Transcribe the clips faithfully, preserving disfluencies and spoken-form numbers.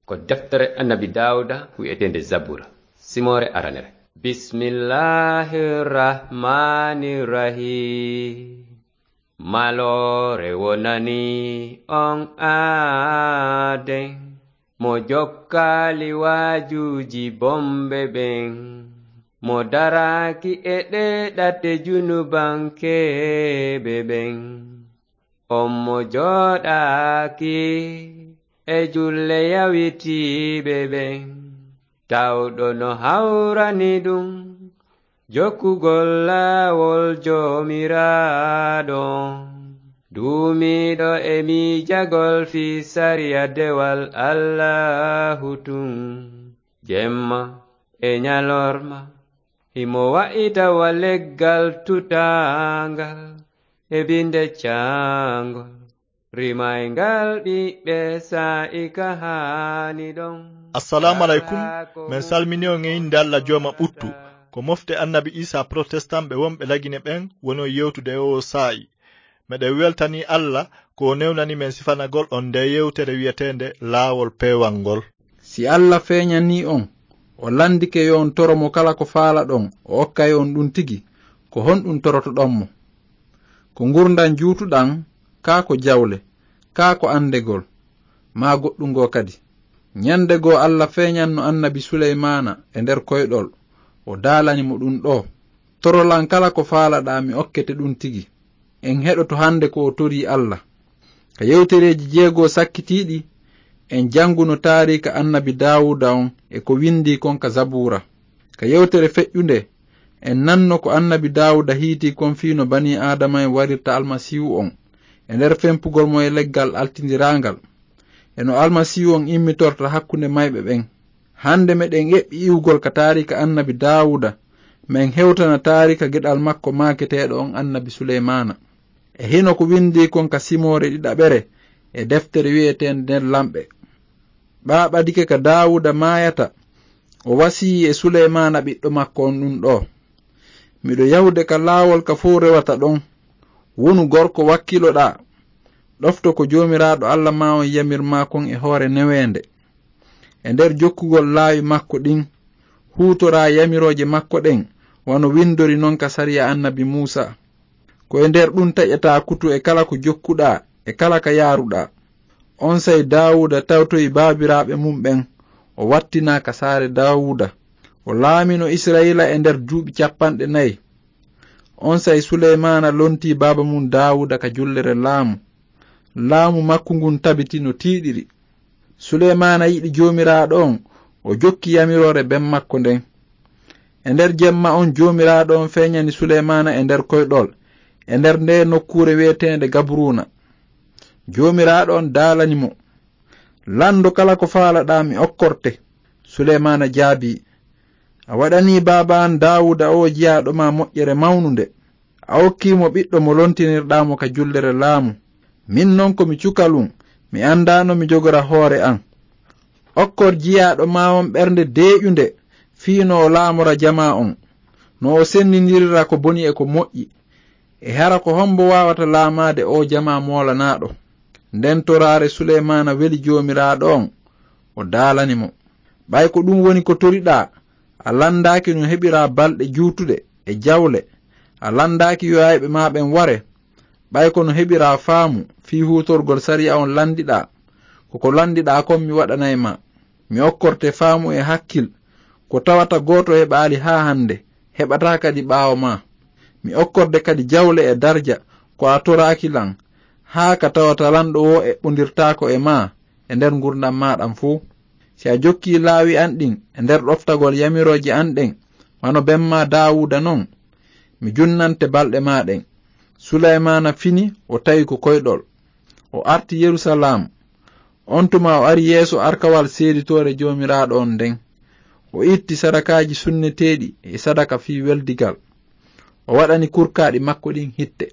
Ko deftere Annabi Daawuda wi'eteende Zabura, simoore aranere. Bismillahir Rahmanir Rahim. Maloore wonani on aaden, mo jokkaali waajuuji bomɓe ɓen, mo daraaki e ɗee ɗate junubankeeɓe ɓen. On mo jooɗaaki e julle yawitiiɓe ɓen, tawɗo no hawrani ɗum jokkugol laawol Joomiraaɗo, duumiiɗo e miijagol fii sariya dewal Allaahu tun, jemma e ñalorma. Himo wa'ita wa leggal tutaangal e binde caangol, rimayngal ɓiɓɓe saa'i ka haani ɗon. Assalamu alaikum. Men salmini on e innde Alla Jooma ɓuttu. Ko mofte Annabi Isa Protestant ɓe wonɓe Lagine ɓen woni on yewtude e oo saa'i. Meɗen weltanii Alla ko o newnani men sifanagol on ndee yewtere wi'eteende Laawol Peewal ngol. Si Alla feeñanii on, o landike yo on toro mo kala ko faalaɗon, o okkay on ɗun tigi, ko honɗun torotoɗon mo? Ko ngurndan juutuɗan, kaa ko jawle, kaa ko andegol, maa goɗɗun goo kadi? Ñande goo Alla feeñanno Annabi Suleymaana e nder koyɗol, o daalani mo ɗun ɗoo. Torolan kala ko faalaɗaa, mi okkete ɗun tigi. En heɗoto hande ko o torii Alla. Ka yewtereeji jeego sakkitiiɗi, en janguno taariika Annabi Daawuda on e ko windii kon ka Zabuura. Ka yewtere feƴƴunde, en nanno ko Annabi Daawuda hiitii kon fii no banii Aadama en warirta Almasiihu on e nder fempugol mo e leggal altindiraangal, e no Almasiihu on immitorta hakkunde mayɓe ɓen. Hande meɗen eɓɓi iwgol ka taariika Annabi Daawuda, men hewtana taariika geɗal makko maaketeeɗo on Annabi Suleymaana. E hino ko windii kon ka simoore ɗiɗaɓere e deftere wi'eteende Nder Lamɓe. Ɓaaɓadike ka Daawuda maayata, o wasiyii e Suleymaana ɓiɗɗo makko on ɗun ɗoo: Miɗo yahude ka laawol ka fow rewata ɗon. Wonu gorko wakkiloɗaa. Ɗofto ko Joomiraaɗo Alla maa on yamir maa kon e hoore neweende, e nder jokkugol laawi makko ɗin. Huutoraa yamirooje makko ɗen, wano windori non ka sariya Annabi Muusa. Ko e nder ɗun taƴataa kutu e kala ko jokkuɗaa e kala ka yaaruɗaa. Onsay Daawuda tawtoyi baabiraaɓe mun ɓen, o wattinaa ka saare Daawuda. O laamino Isra'iila e nder duuɓi cappanɗe nayi. Onsay Suleymaana lontii baaba mun Daawuda ka jullere laamu. Laamu makko ngun tabiti no tiiɗiri. Suleymaana yiɗi Joomiraaɗo on, o jokki yamiroore ben makko nden. E nder jemma on, Joomiraaɗo on feeñani Suleymaana e nder koyɗol, e nder ndee nokkuure wi'eteende Gabruuna. Joomiraaɗo on daalani mo: Lanndo kala ko faalaɗaa, mi okkorte. Suleymaana jaabii: A waɗanii baaba an Daawuda oo jiyaaɗo maa moƴƴere mawnunde. A okkii mo ɓiɗɗo mo lontinirɗaa mo ka jullere laamu. Min non ko mi cukalun, mi anndaa no mi jogora hoore an. Okkor jiyaaɗo maa on ɓernde deeƴunde fii no o laamora jamaa on, no o senndindirira ko boni e ko moƴƴi. E hara ko hombo waawata laamaade oo jamaa moolanaaɗo? Nden toraare Suleymaana weli Joomiraaɗo on, o daalani mo: Ɓay ko ɗun woni ko toriɗaa, a lanndaaki no heɓiraa balɗe juutuɗe e jawle, a lanndaaki yo ayɓe maa ɓen ware, ɓay ko no heɓiraa faamu fii huutorgol sariya on lanndiɗaa, ko ko lanndiɗaa kon mi waɗanay maa. Mi okkorte faamu e hakkil, ko tawata gooto heɓaali haa hande, heɓataa kadi ɓaawo maa. Mi okkorde kadi jawle e darja, ko a toraaki lan, haa ka tawata lanɗo woo eɓɓondirtaako e maa e nder ngurndan maa ɗan fow. Si a jokkii laawi an ɗin e nder ɗoftagol yamirooje an ɗen, wano ben maa Daawuda non, mi junnante balɗe maa ɗen. Suleymaana fini, o tawi ko koyɗol. O arti Yerusalaam. On tuma o ari yeeso arkawal seeditoore Joomiraaɗo on nden. O itti sadakaaji sunneteeɗi e sadaka fii weldigal. O waɗani kurkaaɗi makko ɗin hitte.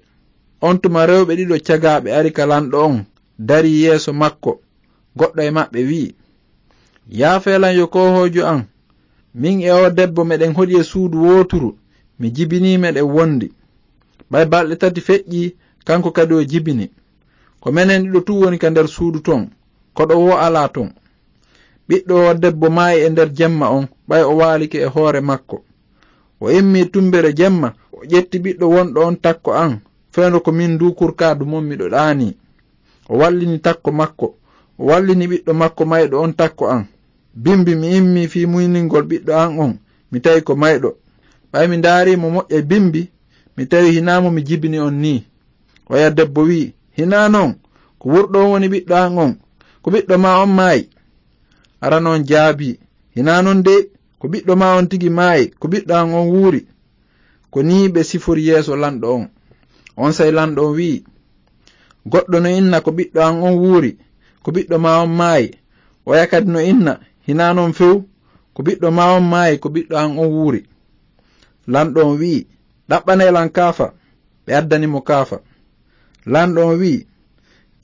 On tuma rewɓe ɗiɗo cagaaɓe ari ka lanɗo on, darii yeeso makko. Goɗɗo e maɓɓe wi'i: Yaafee lan yo koohoojo an. Min e oo debbo meɗen hoɗi e suudu wooturu, mi jibinii meɗen wondi. Ɓay balɗe tati feƴƴii, kanko kadi o jibini. Ko menen ɗiɗo tun woni ka nder suudu ton, koɗo woo alaa ton. Ɓiɗɗo o debbo maayi e nder jemma on, ɓay o waalike e hoore makko. O immi tumbere jemma, o ƴetti ɓiɗɗo wonɗo on takko an, fewndo ko min ndu kurkaadu mon miɗo ɗaani. O wallini takko makko, o wallini ɓiɗɗo makko mayɗo on takko an. Bimbi mi immi fii muyningol ɓiɗɗo an on, mi tawi ko mayɗo. Ɓay mi ndaari mo moƴƴa bimbi, mi tawi hinaa mo mi jibini on nii. Oya debbo wi'i, "Hinaa non, ko wurɗo on woni ɓiɗɗo an on, ko ɓiɗɗo ma on maayi?" Arano on jaabii, "Hinaa non de, ko ɓiɗɗo ma on tigi maayi, ko ɓiɗɗo an on wuuri." Ko nii ɓe sifori yeeso lanɗo on. Onsay lanɗo on wi'i, "Goɗɗo no inna ko ɓiɗɗo an on wuuri, ko ɓiɗɗo ma on maayi. Oya kadi no inna, hinaa non few, ko ɓiɗɗo ma on maayi, ko ɓiɗɗo an on wuuri." Lanɗo on wi'i, "Ɗaɓɓanee lan kaafa." Ɓe addani mo kaafa. Lanɗo on wi'i,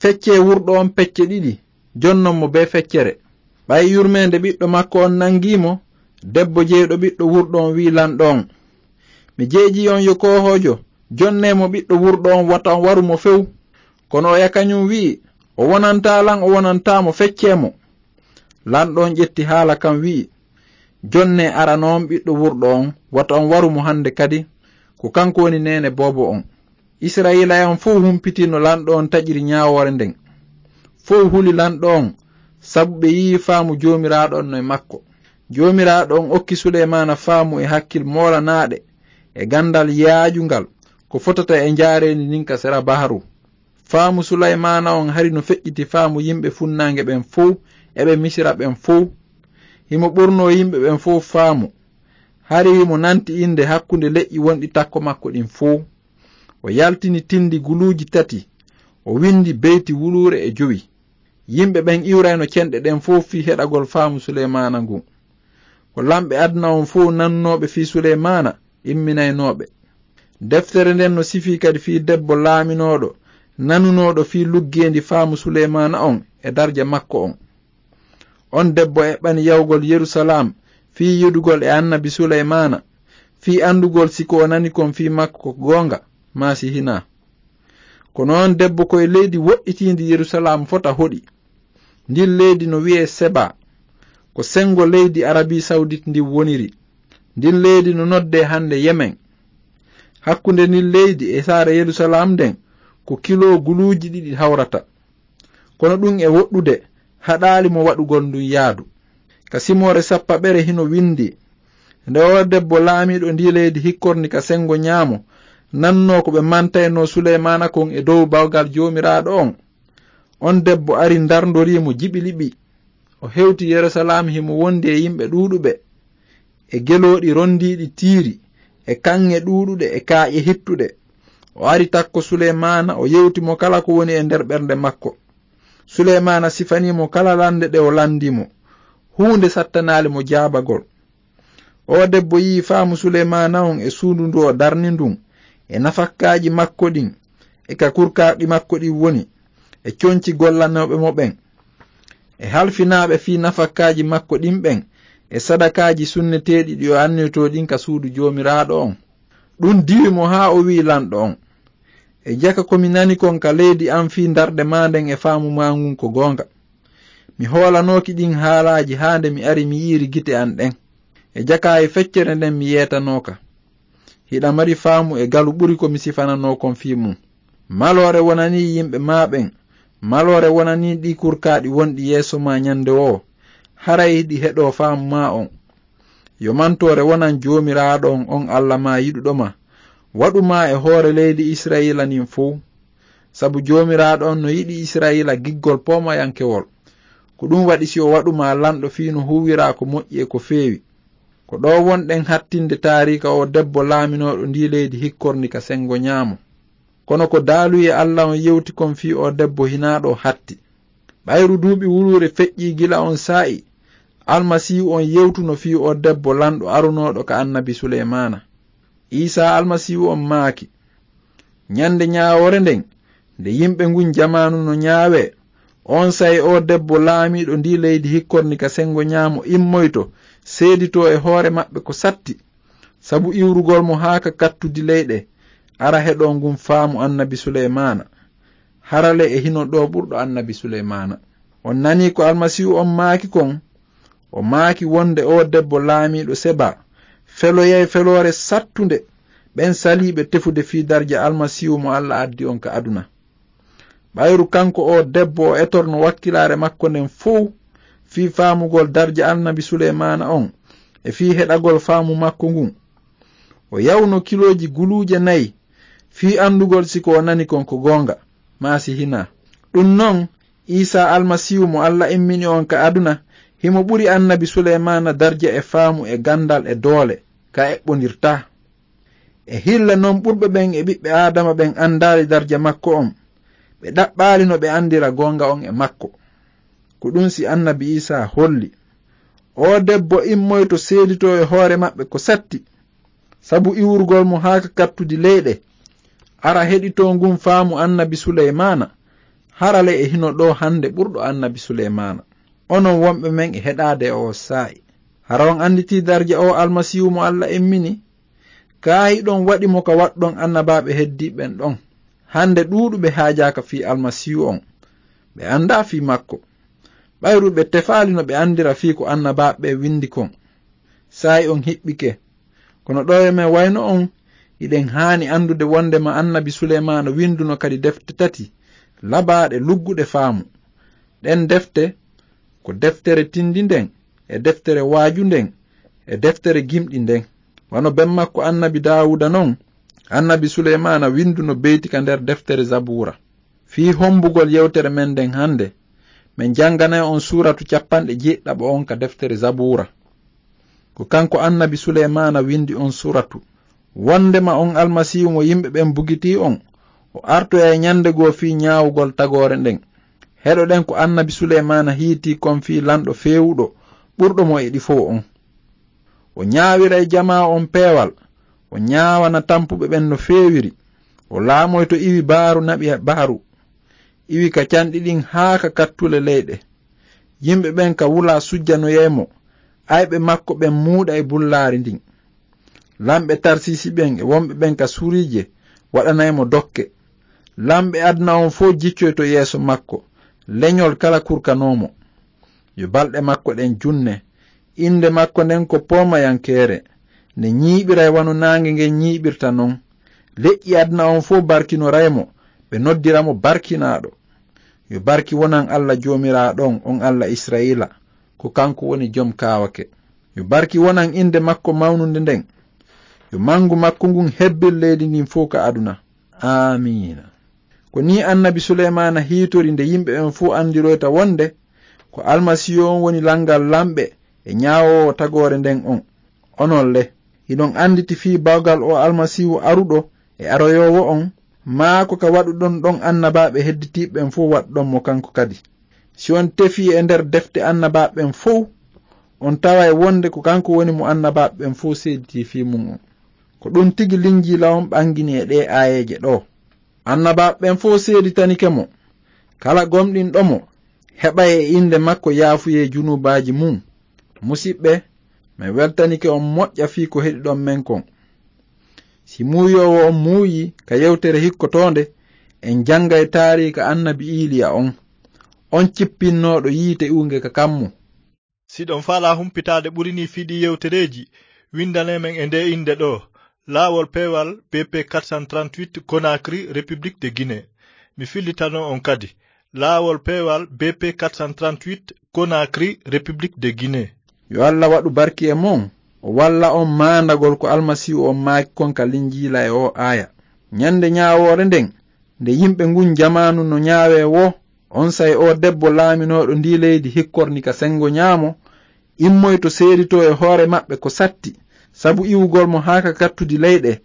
"Feccee wurɗo on pecce ɗiɗi, jonnon mo bee feccere." Ɓay yurmeende ɓiɗɗo makko on nangii mo, debbo jeyɗo ɓiɗɗo wurɗo on wi'i lanɗo on, "Mi jeejii on yo koohoojo, jonnee mo ɓiɗɗo wurɗo on, wata on waru mo few." Kono oya kañum wi'i, "O wonantaa lan, o wonantaa mo, feccee mo." Lanɗo on ƴetti haala kan wi'i, "Jonnee arano on ɓiɗɗo wurɗo on, wata on waru mo hande kadi, ko kanko woni neene boobo on." Isra'iila'en on fow humpiti no lanɗo on taƴiri ñaawoore nden. Fow huli lanɗo on, sabu ɓe yi'i faamu Joomiraaɗo on no e makko. Joomiraaɗo on okki Suleymaana faamu e hakkil moolanaaɗe e gandal yaajungal ko fotata e njaareendi ndin ka sera baharu. Faamu Suleymaana on hari no feƴƴiti faamu yimɓe funnaange ɓen fow e ɓe Misira ɓen fow. Himo ɓurnoo yimɓe ɓen fow faamu. Hari himo nanti innde hakkunde leƴƴi wonɗi takko makko ɗin fow. O yaltini tindi guluuji tati. O windi beyti wuluure e jowi. Yimɓe ɓen iwrayno cenɗe ɗen fow fii heɗagol faamu Suleymaana ngun. Ko lamɓe aduna on fow nanunooɓe fii Suleymaana imminaynooɓe. Deftere nden no sifii kadi fii debbo laaminooɗo nanunooɗo fii luggeendi faamu Suleymaana on e darja makko on. On debbo eɓɓani yahugol Yerusalaam fii yiɗugol e annabi Suleymaana, fii andugol si ko o nani kon fii makko ko goonga, maa si hinaa. Kono on debbo ko e leydi woɗɗitiindi Yerusalaam fota hoɗi. Ndin leydi no wi'ee Seba. Ko sengo leydi Arabii Sawdit ndin woniri. Ndin leydi no noddee hande Yemen. Hakkunde ndin leydi e saare Yerusalaam nden ko kiloo guluuji ɗiɗi hawrata. Kono ɗun e woɗɗude haɗaali mo waɗugol ndun yaadu. Ka simoore sappaɓere hino windi, nde oo debbo laamiiɗo ndii leydi hikkorni ka sengo ñaamo, nannoo ko ɓe mantaynoo Suleymaana kon e dow bawgal Joomiraaɗo on. On debbo ari ndarndorii mo jiɓi liɓi. O hewti Yerusalaam himo wondi e yimɓe ɗuuɗuɓe, e gelooɗi rondiiɗi tiiri, e kaŋŋe ɗuuɗuɗe, e kaaƴe hittuɗe. O ari takko Suleymaana, o yewti mo kala ko woni e nder ɓernde makko. Suleymaana sifanii mo kala lande ɗe o landii mo. Huunde sattanaali mo jaabagol. Oo debbo yi'i faamu Suleymaana on e suudu ndu o darni ndun, e nafakkaaji makko ɗin, e ka kurkaaɗi makko ɗin woni, e conci gollanooɓe mo ɓen, e halfinaaɓe fii nafakkaaji makko ɗin ɓen, e sadakaaji sunneteeɗi ɗi o anniyotoo ɗin ka suudu Joomiraaɗo on. Ɗun diwi mo haa o wi'i lanɗo on, "E jaka ko mi nani kon ka leydi an fii ndarde maa nden e faamu maa ngun ko goonga. Mi hoolanooki ɗin haalaaji haa nde mi ari mi yi'iri gite an ɗen. E jaka e feccere nden mi yeetanooka. Hiɗa mari faamu e galu ɓuri ko mi sifananoo kon fii mun. Maloore wonanii yimɓe maa ɓen. Maloore wonanii ɗii kurkaaɗi wonɗi yeeso maa ñande woo. Haray hiɗi heɗoo faamu maa on. Yo mantoore wonan Joomiraaɗo on, on Alla maa yiɗuɗo maa. Waɗu maa e hoore leydi Isra'iila ndin fow. Sabu Joomiraaɗo on no yiɗi Isra'iila giggol poomayankewol. Ko ɗun waɗi si o waɗu maa lanɗo fii no huuwiraa ko moƴƴi e ko feewi." Ko ɗoo wonɗen hattinde taariika oo debbo laaminooɗo ndii leydi hikkorndi ka sengo ñaamo. Kono ko daaluyee Alla on yewti kon fii oo debbo hinaa ɗoo hatti. Ɓayru duuɓi wuluure feƴƴii gila on saa'i, Almasiihu on yewtuno fii oo debbo lanɗo arunooɗo ka annabi Suleymaana. Iisaa Almasiihu on maaki, "Ñande ñaawoore nden, nde yimɓe ngun jamaanu no ñaawee, onsay oo debbo laamiiɗo ndii leydi hikkorndi ka sengo ñaamo immoyto, seeditoo e hoore maɓɓe ko satti, sabu iwrugol mo haa ka kattudi leyɗe, ara heɗoo ngun faamu annabi Suleymaana. Harale e hino ɗoo ɓurɗo annabi Suleymaana." On nanii ko Almasiihu on maaki kon, O maaki wonde oo debbo laamiiɗo Seba feloyay feloore sattunde ɓen saliiɓe tefude fii darja Almasiihu mo Alla addi on ka aduna. Ɓayru kanko oo debbo o etorno wakkilaare makko nden fow fii faamugol darja Annabi Suleymaana on e fii heɗagol faamu makko ngun. O yawno kilooji guluuje nayi fii anndugol si ko o nani kon ko goonga, maa si hinaa. Ɗun non, Iisaa Almasiihu mo Alla immini on ka aduna, himo ɓuri Annabi Suleymaana darja e faamu e ganndal e doole, ka eɓɓondirtaa. E hilla non ɓurɓe ɓen e ɓiɓɓe Aadama ɓen anndaali darja makko on, ɓe ɗaɓɓaali no ɓe anndira goonga on e makko. Ko ɗun si Annabi Iisaa holli, oo debbo immoyto seeditoo e hoore maɓɓe ko satti, sabu iwrugol mo haa ka kattudi leyɗe, ara heɗitoo ngun faamu Annabi Suleymaana, hara le e hino ɗoo hannde ɓurɗo Annabi Suleymaana. Onon wonɓe men e heɗaade e oo saa'i, hara on annditii darja oo Almasiihu mo Alla immini? Kaa hiɗon waɗi mo ka waɗɗon annabaaɓe heddiiɓe ɓen ɗon? Hannde ɗuuɗuɓe haajaaka fii Almasiihu on, ɓe anndaa fii makko. Ɓayru ɓe tefaali no ɓe anndira fii ko annabaaɓe ɓen winndi kon. Saa'i on hiɓɓike. Kono ɗoo e men wayno on, hiɗen haani anndude wondema Annabi Suleymaana winnduno kadi defte tati labaaɗe lugguɗe faamu. Ɗen defte ko deftere tinndi nden, e deftere waaju nden, e deftere gimɗi nden. Wano ben makko Annabi Daawuda non, Annabi Suleymaana winnduno beyti ka nder deftere Zabuura. Fii hombugol yewtere men nden hannde, men jannganay on suuratu cappanɗe jeeɗiɗaɓo on ka deftere Zabuura. Ko kanko Annabi Suleymaana winndi on suuratu. Wondema on Almasiihu mo yimɓe ɓen bugitii on, o artoyay ɲande goo fii ɲaawugol tagoore nden. Heɗoɗen ko Annabi Suleymaana hiitii kon fii lanɗo feewuɗo, ɓurɗo mo e ɗi fow on. O ɲaawiray jamaa on peewal, o ɲaawana tampuɓe ɓen no feewiri, o laamoyto iwi baaru naɓi baaru, iwi ka canɗi ɗin haa ka kattule leyɗe. Yimɓe ɓen ka wula sujjanoyay mo, ayɓe makko ɓen muuɗay bullaari ndin. Lamɓe Tarsiisi ɓen e wonɓe ɓen ka Suriije waɗanay mo dokke. Lamɓe aduna on fow jiccoyto yeeso makko, leɲol kala kurkanoo mo. Yo balɗe makko ɗen junne. Innde makko nden ko poomayankeere, nde ɲiiɓiray wano naange ngen ɲiiɓirta non. Leƴƴi aduna on fow barkinoray mo, ɓe noddira mo barkinaaɗo. Yo barki wonan Alla Joomiraaɗo on, on Alla Isra'iila, ko kanko woni Jom Kaawake. Yo barki wonan innde makko mawnunde nden. Yo mangu makko ngun hebbir leydi ndin fow ka aduna. Aamiina. Ko nii Annabi Suleymaana hiitori nde yimɓe ɓen fow anndiroyta wonde ko Almasiihu on woni lanngal lamɓe e ɲaawoowo tagoore nden on. Onon le, hiɗon annditi fii bawgal oo Almasiihu aruɗo e aroyoowo on, maa ko ka waɗuɗon ɗon annabaaɓe hedditiiɓe ɓen fow waɗuɗon mo kanko kadi? Si on tefii e nder defte annabaaɓe ɓen fow, on taway wonde ko kanko woni mo annabaaɓe ɓen fow seeditii fii mun on. Ko ɗun tigi Linjiila on ɓangini e ɗee aayeeje ɗoo. Annabaaɓe ɓen fow seeditanike mo. Kala gomɗinɗo mo, heɓay e innde makko yaafuyee junuubaaji mun. Musiɓɓe, men weltanike on moƴƴa fii ko heɗiɗon men kon. Si muuyoowo on muuyii ka yewtere hikkotoonde, en janngay taariika Annabi Iiliya on, on cippinnooɗo yiite iwunge ka kammu. Si ɗon faalaa humpitaade ɓuri nii fii ɗii yewtereeji, winndanee men e ndee innde ɗoo, Laawol Peewal B P quatre cent trente-huit, Conakry, République de Guinée. Mi fillitano on kadi, Laawol Peewal B P quatre cent trente-huit, Conakry, République de Guinée. Yo Alla waɗu barki e mon, o walla on maandagol ko Almasiihu on maaki kon ka Linjiila e oo aaya. Ɲande ɲaawoore nden, nde yimɓe ngun jamaanu no ɲaawee woo, onsay oo debbo laaminooɗo ndii leydi hikkorni ka senngo ɲaamo, immoyto seeditoo e hoore maɓɓe ko satti, sabu iwugol mo haa ka kattudi leyɗe,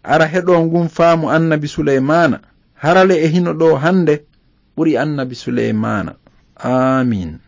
ara heɗoo ngun faamu Annabi Suleymaana, hara le e hino ɗoo hande ɓuri Annabi Suleymaana. Aamiin.